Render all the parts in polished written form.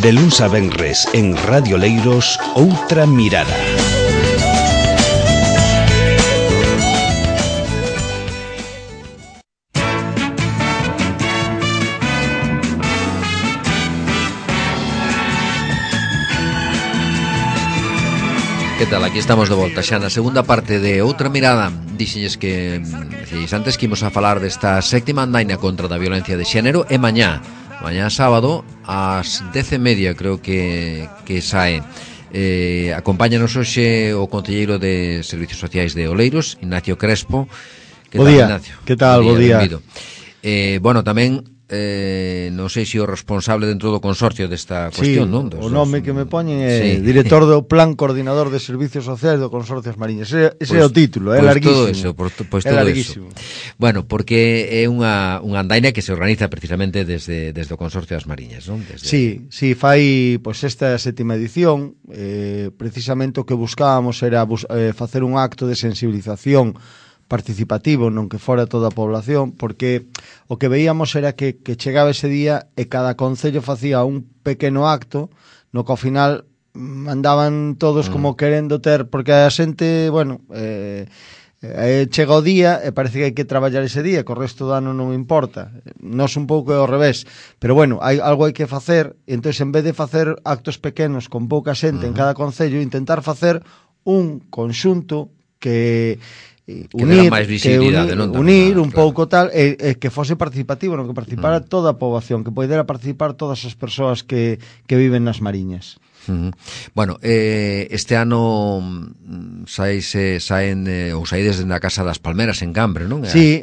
De luns a venres en Radio Leiros, Outra Mirada. Que tal? Aquí estamos de volta xa na segunda parte de Outra Mirada. Dixelles que antes que imos a falar desta séptima andaina contra da violencia de xénero e mañá sábado ás 10:30 creo que sae. Acompáñanos hoxe o concelleiro de Servicios Sociais de Oleiros, Ignacio Crespo. Que tal, Ignacio? Que tal? Bo día. Bueno, tamén non sei se o responsable dentro do consorcio desta cuestión, non? O nome que me poñen é director do Plan Coordinador de Servicios Sociais do Consorcio das Mariñas. Ese é o título, é larguísimo. Pois todo eso. Bueno, porque é unha andaina que se organiza precisamente desde o Consorcio das Mariñas, non? Sí, fai esta sétima edición. Precisamente o que buscábamos era facer un acto de sensibilización participativo, non que fora toda a población, porque o que veíamos era que chegaba ese día e cada concello facía un pequeno acto no que ao final andaban todos como querendo ter, porque a xente, chega o día e parece que hai que traballar ese día, que o resto do ano non importa. Nos un pouco é ao revés, pero algo hai que facer, e entón en vez de facer actos pequenos con pouca xente en cada concello, intentar facer un conxunto que unir un pouco tal e que fose participativo, non que participara toda a poboación, que poidera participar todas as persoas que viven nas Mariñas. Bueno, este ano saídes na Casa das Palmeras en Cambre, non? Sí,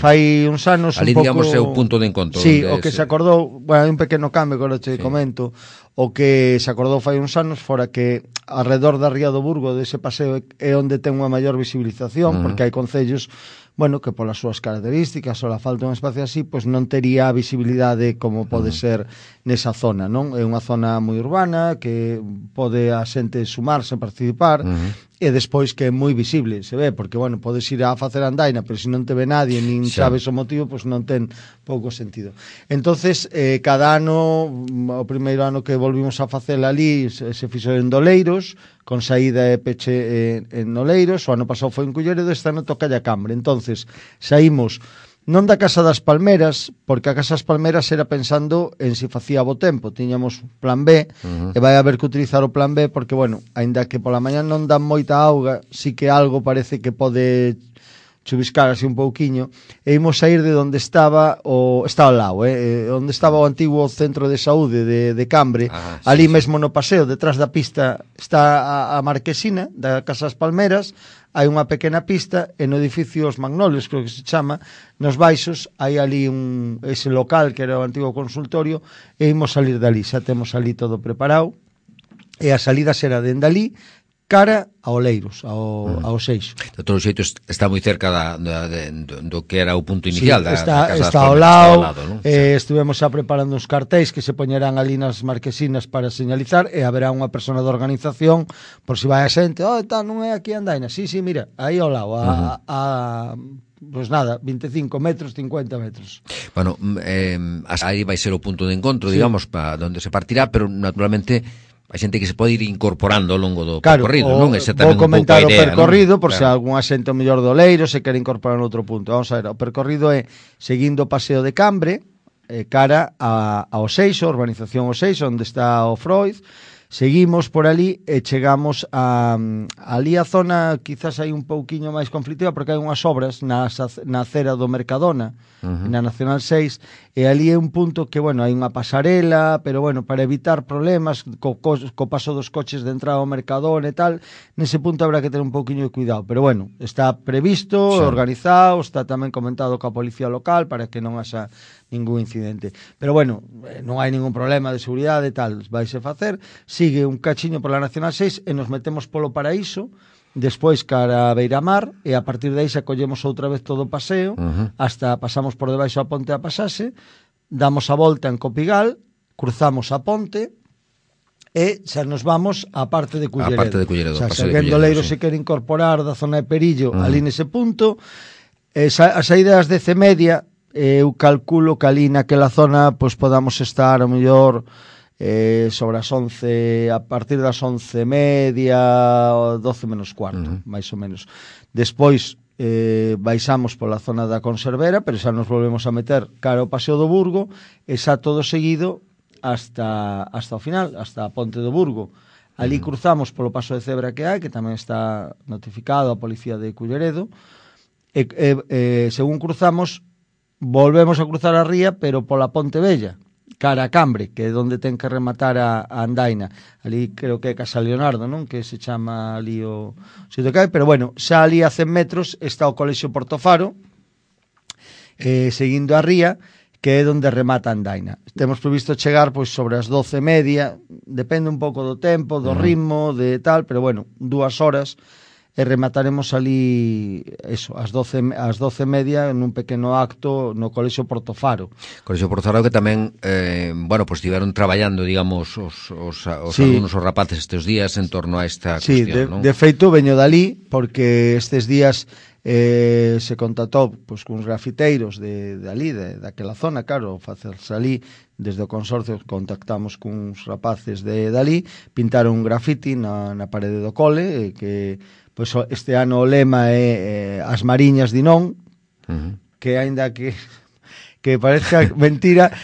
fai uns anos ali, digamos, é o punto de encontro. Sí, o que se acordou, hai un pequeno cambio que agora te comento. O que se acordou fai uns anos fora que alrededor da Ría do Burgo dese paseo é onde ten unha maior visibilización, porque hai concellos que polas súas características ou la falta un espacio así, pois non tería a visibilidade como pode ser nesa zona, non? É unha zona moi urbana que pode a xente sumarse, participar, e despois que é moi visible, se ve, porque, podes ir a facer andaina, pero se non te ve nadie, nin sabes o motivo, pois non ten pouco sentido. Entonces, cada ano, o primeiro ano que volvimos a facer ali, se fixo en Doleiros, con saída e peche en Oleiros, o ano pasado foi en Culleredo, este ano toca a Cambre. Entonces, saímos non da Casa das Palmeras, porque a Casa das Palmeras era pensando en se facía bo tempo, tiñamos plan B, e vai haber que utilizar o plan B, porque, aínda que pola mañá non dan moita auga, sí que algo parece que pode chubiscar así un pouquiño, e imos sair de onde estaba ao lado, onde estaba o antigo centro de saúde de Cambre, ali mesmo no paseo, detrás da pista está a marquesina da Casa das Palmeras, hai unha pequena pista, e no edificio Os Magnolios, creo que se chama, nos baixos, hai ali ese local que era o antigo consultorio, e imos salir dali, xa temos ali todo preparado, e a salida será dende ali, cara a Oleiros, ao Seixo. De todos os xeitos, está moi cerca do que era o punto inicial da Casa das Palmeras. Está ao lado, estivemos xa preparando uns cartéis que se poñerán ali nas marquesinas para señalizar, e haberá unha persona de organización, por si vai a xente, non é aquí andaina, sí, mira, aí ao lado, pois nada, 25 metros, 50 metros. Bueno, aí vai ser o punto de encontro, digamos, para onde se partirá, pero naturalmente a xente que se pode ir incorporando ao longo do percorrido, non? Vou comentar o percorrido, por se algunha xente mellor do Leiro se quere incorporar en outro punto. Vamos a ver, o percorrido é seguindo o paseo de Cambre, cara ao Seixo, a urbanización ao Seixo, onde está o Freud. Seguimos por ali e chegamos ali a zona, quizás hai un pouquiño máis conflictiva, porque hai unhas obras na acera do Mercadona, na Nacional 6, e ali é un punto que, hai unha pasarela, pero, para evitar problemas co paso dos coches de entrada ao Mercadona e tal, nese punto habrá que ter un pouquiño de cuidado, pero, está previsto, organizado, está tamén comentado coa policía local para que non haxa ningún incidente. Pero, non hai ningún problema de seguridade e tal, vaise facer. Sigue un cachiño pola Nacional 6 e nos metemos polo Paraíso, despois cara a Beiramar, e a partir de aí xa collemos outra vez todo o paseo, hasta pasamos por debaixo a ponte a Pasase, damos a volta en Copigal, cruzamos a ponte, e xa nos vamos á parte de Culleredo. Xa, se alguén do Leiro se quere incorporar da zona de Perillo ali nese punto, a saída das 10:30, eu calculo que ali naquela zona pois podamos estar ao mellor sobre as 11, a partir das 11:30, 12 menos cuarto, máis ou menos. Despois baixamos pola zona da Conservera, pero xa nos volvemos a meter cara ao Paseo do Burgo, e xa todo seguido hasta o final, hasta a Ponte do Burgo. Ali cruzamos polo paso de cebra que hai, que tamén está notificado a Policía de Culleredo, e según cruzamos, volvemos a cruzar a ría, pero pola Ponte Vella, cara a Cambre, que é onde ten que rematar a andaina. Ali creo que é Casa Leonardo, non? Que se chama ali o sitio que hai, pero bueno, xa ali a 100 metros está o Colexio Portofaro, seguindo a ría, que é onde remata a andaina. Temos previsto chegar pois sobre as 12:30, depende un pouco do tempo, do ritmo, de tal, pero bueno, 2 horas e remataremos ali eso, as 12:30 nun pequeno acto no Colexio Portofaro. Colexio Portofaro que tamén bueno, pues estiveron traballando, digamos, os alumnos, os rapaces estes días en torno a esta cuestión, non? De feito veño dali porque estes días se contactou pois cuns grafiteiros de ali, daquela zona, claro, facerse ali, desde o consorcio contactamos cuns rapaces de dali, pintaron un grafiti na parede do cole, que pois este ano o lema é as mariñas de non, que aínda que parezca mentira,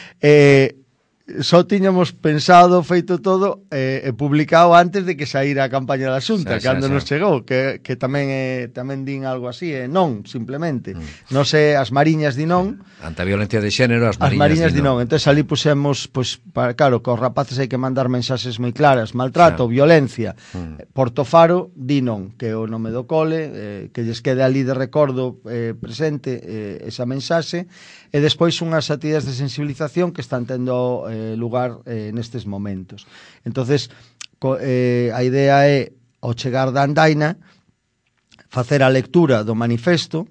só tiñamos pensado, feito todo e publicado antes de que saíra a campaña da Xunta, cando nos chegou, que tamén din algo así, non, simplemente. Non sei, as mariñas di non. Ante a violencia de xénero, as mariñas di non. Entón, ali pusemos, pois, claro, que os rapaces hai que mandar mensaxes moi claras, maltrato, violencia, Portofaro, di non, que é o nome do cole, que lles quede ali de recordo presente esa mensaxe, e despois unhas actividades de sensibilización que están tendo lugar nestes momentos. Entonces, a idea é, ao chegar da andaina, facer a lectura do manifesto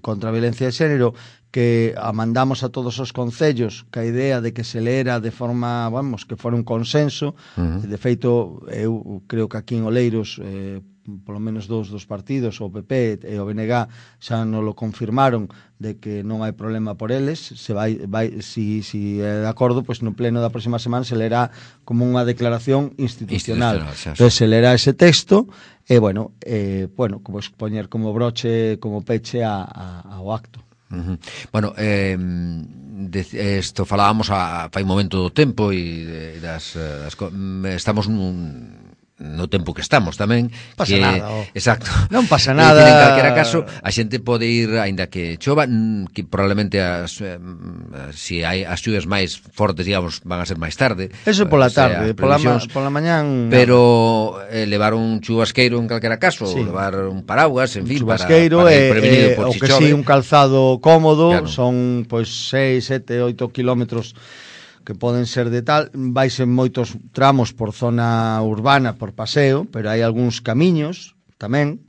contra a violencia de xénero, que a mandamos a todos os concellos, que a idea de que se leera de forma, vamos, que fora un consenso. De feito, eu creo que aquí en Oleiros polo menos dous dos partidos, o PP e o BNG, xa non lo confirmaron de que non hai problema por eles. Se vai si é de acordo, pois no pleno da próxima semana se lerá como unha declaración institucional. Entón se lerá ese texto e, bueno, como poñer como broche, como peche ao acto. Bueno, isto falábamos fai un momento do tempo e estamos no tempo que estamos tamén. Pasa nada. Exacto. Non pasa nada. En calquera caso, a xente pode ir, aínda que chova, que probablemente se hai as xuvias máis fortes, digamos, van a ser máis tarde. Eso pola tarde, pola mañán. Pero levar un chubasqueiro en calquera caso, levar un paraguas, en fin, para ir prevenido por si chove. O que si, un calzado cómodo, son pois 6, 7, 8 kilómetros que poden ser de tal, vaise moitos tramos por zona urbana, por paseo, pero hai algúns camiños tamén,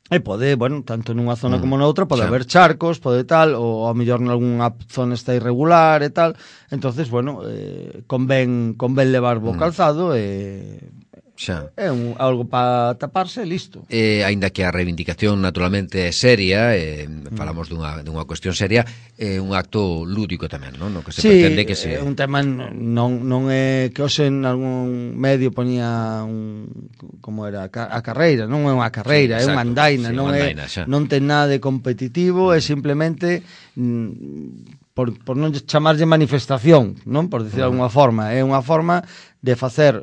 e pode, bueno, tanto nunha zona como noutra, pode haber charcos, pode tal, ou ao mellor nalgúnha zona está irregular e tal. Entonces, bueno, convén levar bo calzado e é algo para taparse e listo. Aínda que a reivindicación naturalmente é seria, falamos dunha cuestión seria, é un acto lúdico tamén, non? No que se pretende que se... Sí, un tema non é que hoxe en algún medio poñía como era, a carreira, non é unha carreira, é unha andaina, non ten nada de competitivo, é simplemente por non chamarlle manifestación, non? Por decir de alguna forma, é unha forma de facer,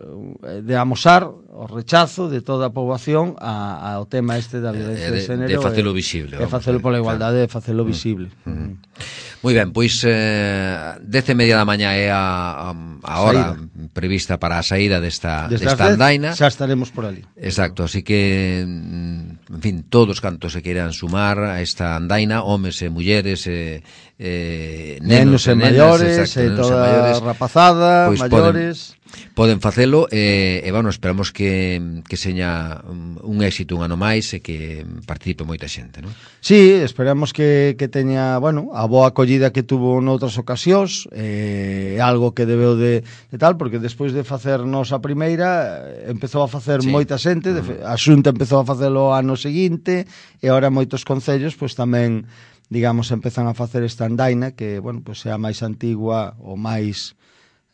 de amosar o rechazo de toda a poboación ao tema este da violencia de xénero, de facelo visible, de facelo pola igualdade, de facelo visible. Moi ben, pois 10:30 da mañá é a hora prevista para a saída desta andaina. Xa estaremos por ali. Exacto, así que en fin, todos cantos se queiran sumar a esta andaina, homes e mulleres nenos e maiores, e toda a rapazada, maiores, poden facelo, e bueno, esperamos que seña un éxito un ano máis e que participe moita xente, non? Sí, esperamos que teña, bueno, a boa acollida que tuvo noutras ocasións, algo que debeu de tal, porque despois de facernos a primeira, empezou a facer moita xente, a Xunta empezou a facelo ano seguinte, e agora moitos concellos pois tamén digamos, empezan a facer esta andaina que, bueno, pues é a máis antigua ou máis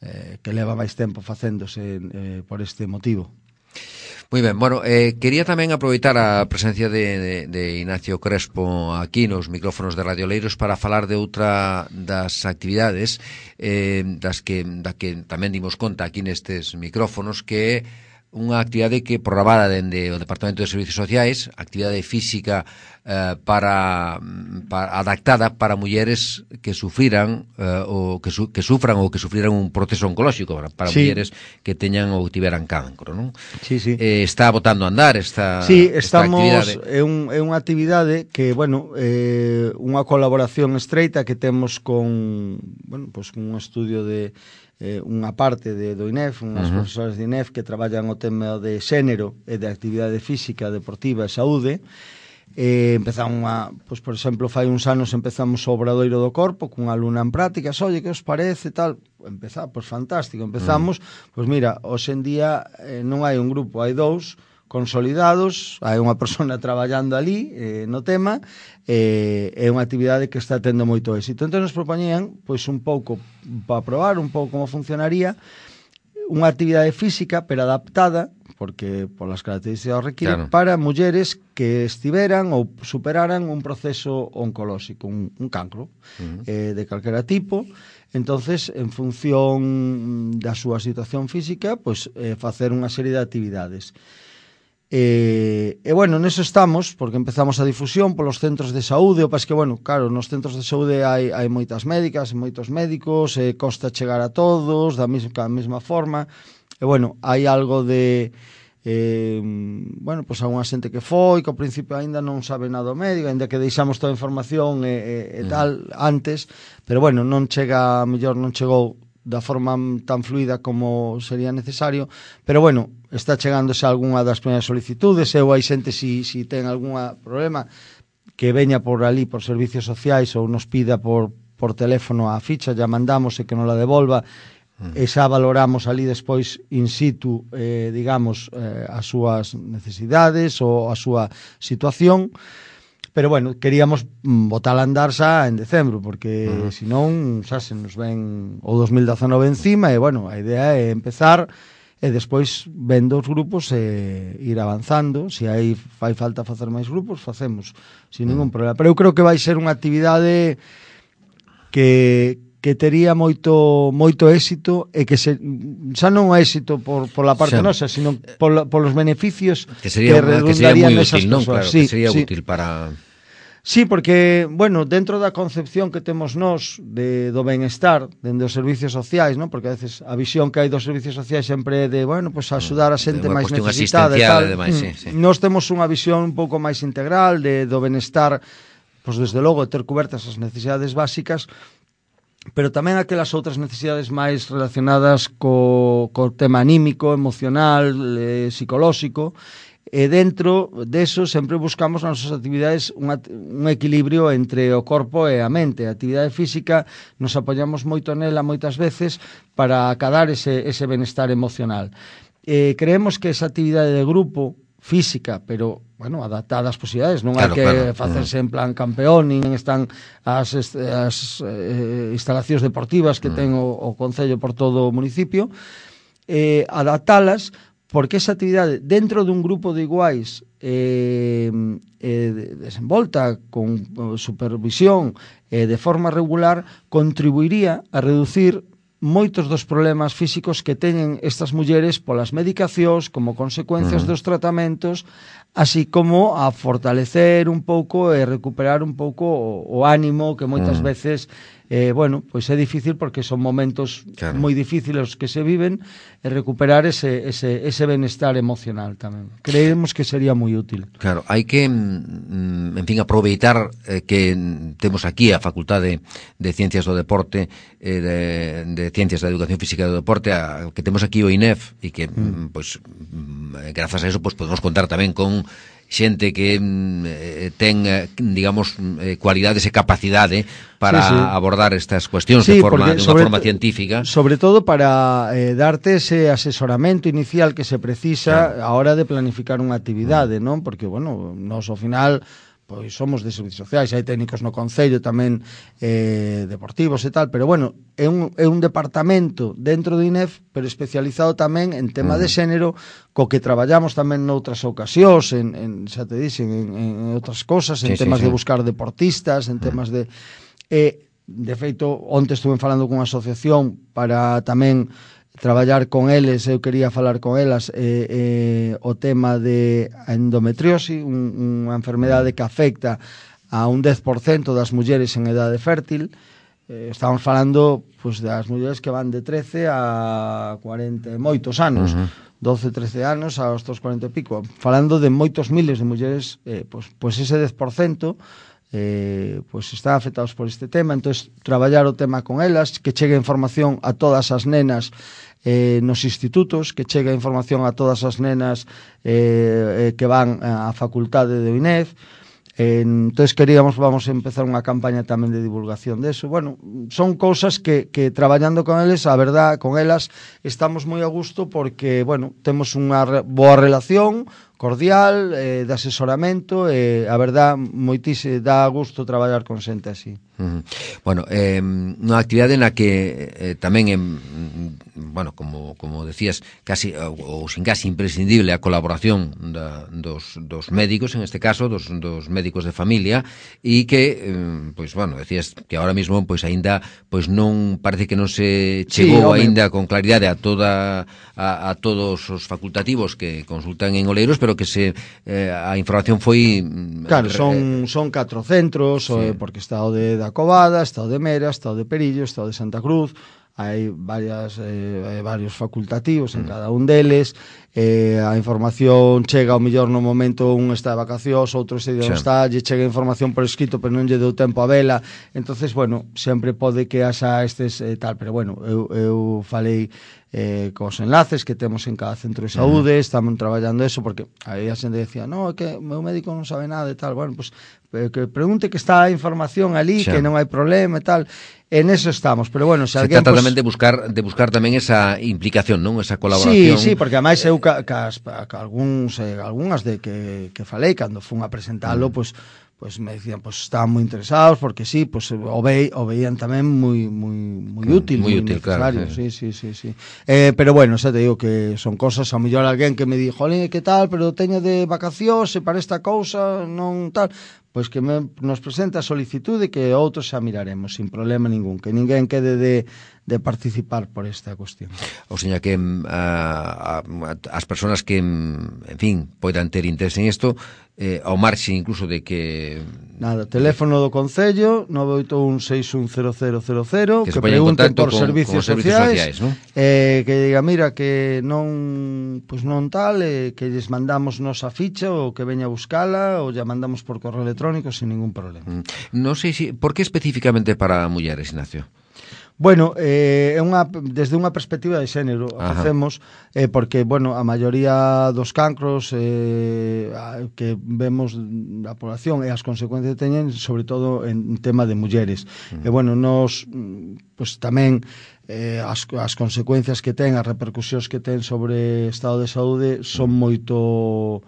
que leva máis tempo facéndose por este motivo. Moi ben, bueno, quería tamén aproveitar a presencia de Ignacio Crespo aquí nos micrófonos de Radio Leiros para falar de outra das actividades da que tamén dimos conta aquí nestes micrófonos, que é unha actividade que programada dende o Departamento de Servicios Sociais, actividade física adaptada para mulleres que sufriran ou que sufran ou que sufriran un proceso oncolóxico, para mulleres que teñan ou tiveran cancro, non? Sí, sí. Está botando a andar esta estamos, actividade. É unha actividade que, bueno, unha colaboración estreita que temos con, bueno, pues un estudio de unha parte do INEF, unhas profesores de INEF que traballan o tema de xénero e de actividade física, deportiva e saúde. Empezamos pois, por exemplo, fai uns anos empezamos o Obradoiro do Corpo cunha alumna en prácticas. Oye, que os parece, tal? Pois fantástico, empezamos. Pois mira, hoxe en día non hai un grupo, hai dous consolidados, hai unha persona traballando ali no tema, é unha actividade que está tendo moito éxito. Entón nos propoñían, pois un pouco para probar un pouco como funcionaría unha actividade física pero adaptada, porque polas características requiere, claro, para mulleres que estiveran ou superaran un proceso oncolóxico, un cancro de calquera tipo. Entonces, en función da súa situación física, pois facer unha serie de actividades. E bueno, neso estamos, porque empezamos a difusión polos centros de saúde. O pas que, bueno, claro, nos centros de saúde hai moitas médicas, moitos médicos, costa chegar a todos da mesma forma. E bueno, hai algo de bueno, pois algunha xente que foi, que ao principio aínda non sabe nada o médico, aínda que deixamos toda a información e tal antes, pero bueno, non chega, mellor non chegou da forma tan fluida como sería necesario, pero bueno, está chegándose algunha das primeiras solicitudes, ou hai xente si ten algún problema que veña por ali por servicios sociais ou nos pida por teléfono a ficha, ya mandamos e que nos la devolva, e xa valoramos ali despois in situ, digamos, as súas necesidades ou a súa situación. Pero bueno, queríamos botar a andar xa en decembro, porque senón xa se nos ven o 2019 encima, e bueno, a idea é empezar e despois vendo os grupos e ir avanzando. Se aí fai falta facer máis grupos, facemos sin ningún problema. Pero eu creo que vai ser unha actividade que tería moito éxito, e que xa non o éxito por la parte nosa, sino polos beneficios que redundarían nesas persoas. Claro, que sería útil para... Sí, porque, bueno, dentro da concepción que temos nós do benestar, dende os servicios sociais, non? Porque a veces a visión que hai dos servicios sociais sempre é de, bueno, pues axudar a xente máis necesitada e tal. Nós temos unha visión un pouco máis integral do benestar, pues desde logo ter cobertas as necesidades básicas, pero tamén aquelas outras necesidades máis relacionadas co tema anímico, emocional, psicolóxico. E dentro deso sempre buscamos nas nosas actividades un equilibrio entre o corpo e a mente. A actividade física nos apoiamos moito nela moitas veces para acadar ese benestar emocional. Creemos que esa actividade de grupo física, pero, bueno, adaptada ás posibilidades, non hai que facerse en plan campeón, nin están as instalacións deportivas que ten o Concello por todo o municipio, adaptalas, porque esa actividade dentro dun grupo de iguais desenvolta con supervisión de forma regular, contribuiría a reducir moitos dos problemas físicos que teñen estas mulleres polas medicacións, como consecuencias dos tratamentos, así como a fortalecer un pouco e recuperar un pouco o ánimo que moitas veces bueno, pois é difícil, porque son momentos moi difíciles que se viven, e recuperar ese benestar emocional tamén. Creemos que sería moi útil. Claro, hai que, en fin, aproveitar que temos aquí a Facultade de Ciencias do Deporte, de Ciencias da Educación Física e do Deporte, que temos aquí o INEF, e que, pois, grazas a eso, pois podemos contar tamén con xente que ten, digamos, cualidades e capacidade para abordar estas cuestións de unha forma científica. Sobre todo para darte ese asesoramento inicial que se precisa a hora de planificar unha actividade, non? Porque, bueno, nos ao final pois somos de servicios sociais, hai técnicos no Concello tamén deportivos e tal, pero bueno, é un departamento dentro do INEF, pero especializado tamén en tema de xénero, co que traballamos tamén noutras ocasións, xa te dixen, en outras cosas, en temas de buscar deportistas, en temas de... de feito, onte estuve falando cunha asociación para tamén traballar con eles, eu quería falar con elas o tema de endometriosis, unha enfermedade que afecta a un 10% das mulleres en edade fértil. Estamos falando pues, das mulleres que van de 13 a 40 moitos anos, 12, 13 anos aos 40 e pico, falando de moitos miles de mulleres, pues ese 10% pues están afectados por este tema. Entonces traballar o tema con elas, que chegue información a todas as nenas nos institutos, que chegue información a todas as nenas que van á facultade de INEF. Entonces vamos a empezar unha campaña tamén de divulgación de eso. Bueno, son cousas que traballando con eles, a verdad, con elas estamos moi a gusto porque, bueno, temos unha boa relación cordial, de asesoramento, a verdad, moitísimo dá gusto traballar con xente así. Bueno, unha actividade na que tamén bueno, como decías, casi ou sin casi imprescindible a colaboración dos médicos, en este caso, dos médicos de familia, e que, pois, bueno, decías que ahora mismo, pois, aínda, pois, non, parece que non se chegou aínda con claridade a todos os facultativos que consultan en Oleiros, pero que a información foi... Claro, son 4 centros, porque está o de Covada, está o de Mera, está o de Perillo, está o de Santa Cruz, hai varios facultativos en cada un deles, a información chega ao mellor no momento, un está de vacacións, outro ese día non está, lle chega información por escrito pero non lle deu tempo a vela, entonces bueno, sempre pode que haxa estes tal, pero bueno, eu falei cos enlaces que temos en cada centro de saúde, estamos traballando eso, porque aí a xente decía, no, é que o meu médico non sabe nada e tal, bueno, pues que pregunte que está a información ali, que non hai problema e tal. En eso estamos, pero bueno, se alguén... Se trata tamén de buscar tamén esa implicación, non? Esa colaboración. Sí, porque ademais eu algunhas de que falei, cando fun a presentalo, pues me decían, pues estaban moi interesados, porque sí, pues o veían tamén moi útil, moi necesario. Claro, sí. Pero bueno, xa te digo que son cosas, ao mellor alguén que me di, jolín, que tal, pero teño de vacacións e para esta cousa non tal... Pois que nos presenta a solicitude que outros xa miraremos sin problema ningún, que ninguén quede de participar por esta cuestión. O sea que as persoas que, en fin, poidan ter interés en isto, ao marxe incluso de que... Nada, teléfono do Concello 981610000, que pregunten por servicios sociais, ¿no? Que diga, mira, que non tal, que lles mandamos nosa ficha ou que veña a buscala ou ya mandamos por correo electrónico sin ningún problema. Non sei por que especificamente para mulleres, Ignacio? Bueno, desde unha perspectiva de xénero facemos, porque, bueno, a maioría dos cancros que vemos da población e as consecuencias que teñen, sobre todo en tema de mulleres. E, bueno, nos, pues tamén as consecuencias que ten, as repercusións que ten sobre o estado de saúde son moito...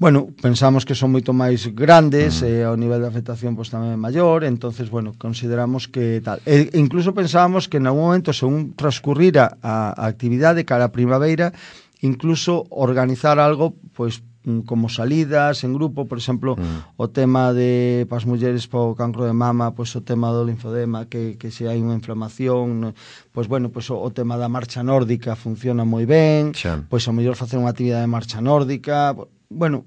Bueno, pensamos que son moito máis grandes, o nivel de afectación pues, tamén é maior, entonces, bueno, consideramos que tal. Incluso pensábamos que en algún momento, según transcurrira a actividade cara a primavera, incluso organizar algo, pues, como salidas en grupo, por exemplo, o tema de pas mulleres po cancro de mama, pues o tema do linfodema, que se hai unha inflamación, pues bueno, pues o tema da marcha nórdica funciona moi ben, pues o mellor facer unha actividade de marcha nórdica, bueno,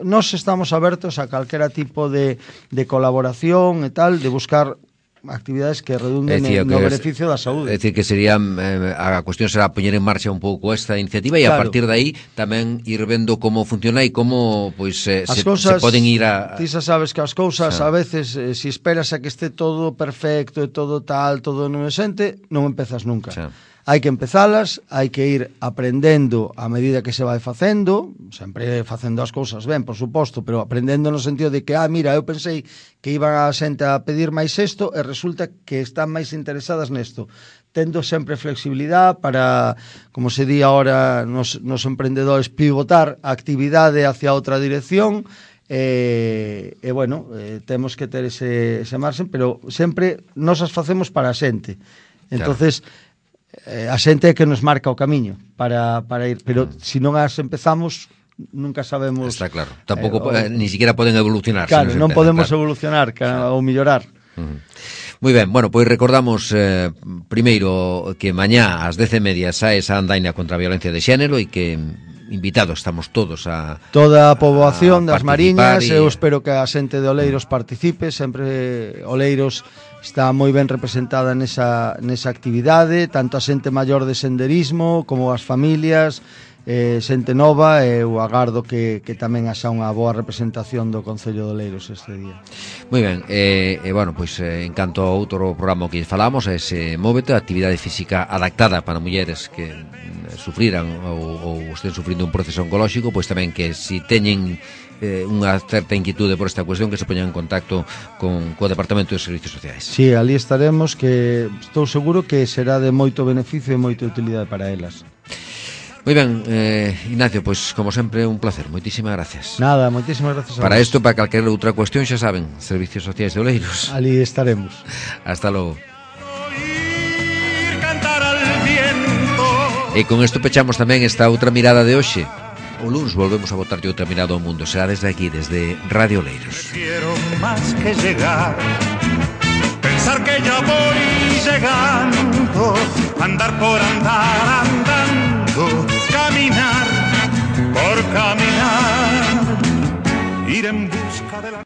nós estamos abertos a calquera tipo de colaboración e tal, de buscar actividades que redunden no beneficio da saúde. É dicir, que sería a cuestión será poñer en marcha un pouco esta iniciativa e a partir de aí tamén ir vendo como funciona e como pois se poden ir a... Ti xa sabes que as cousas a veces, se esperas a que este todo perfecto e todo tal, todo non exente, non empezas nunca. Hai que empezalas, hai que ir aprendendo a medida que se vai facendo, sempre facendo as cousas ben, por suposto, pero aprendendo no sentido de que, mira, eu pensei que iban a xente a pedir máis isto e resulta que están máis interesadas nesto. Tendo sempre flexibilidade para, como se di ahora nos emprendedores, pivotar a actividade hacia outra dirección bueno, temos que ter ese marxen, pero sempre nos as facemos para a xente. Entonces, a xente é que nos marca o camiño para ir, pero se non as empezamos, nunca sabemos. Está claro, tampouco ni siquiera poden evolucionar. Claro, non podemos evolucionar ou mellorar. Moi ben, bueno, pois recordamos primeiro que mañá ás 10:30 sae esa andaina contra a violencia de xénero e que invitados estamos todos a toda a poboación das Mariñas. Eu espero que a xente de Oleiros participe. Sempre Oleiros está moi ben representada nesa actividade, tanto a xente maior de senderismo como as familias, xente nova. Eu agardo que tamén haxa unha boa representación do Concello de Oleiros este día. Moi ben, bueno, pois en canto ao outro programa que falamos, ese Móvete, actividade física adaptada para mulleres que sufriran ou estén sufrindo un proceso oncolóxico, pois tamén que si teñen unha certa inquietude por esta cuestión, que se poñan en contacto co Departamento de Servicios Sociais. Sí, ali estaremos, que estou seguro que será de moito beneficio e moita utilidade para elas. Moi ben, Ignacio, pois como sempre un placer, moitísimas gracias. Nada, moitísimas gracias a para vos. isto, para calquera outra cuestión, xa saben, Servicios Sociais de Oleiros. Ali estaremos. Hasta logo. E con isto pechamos tamén esta outra mirada de hoxe. O luns volvemos a botarlle outra mirada ao mundo. Será desde aquí, desde Radio Oleiros. Quiero más que llegar, pensar que ya voy llegando, andar por andar.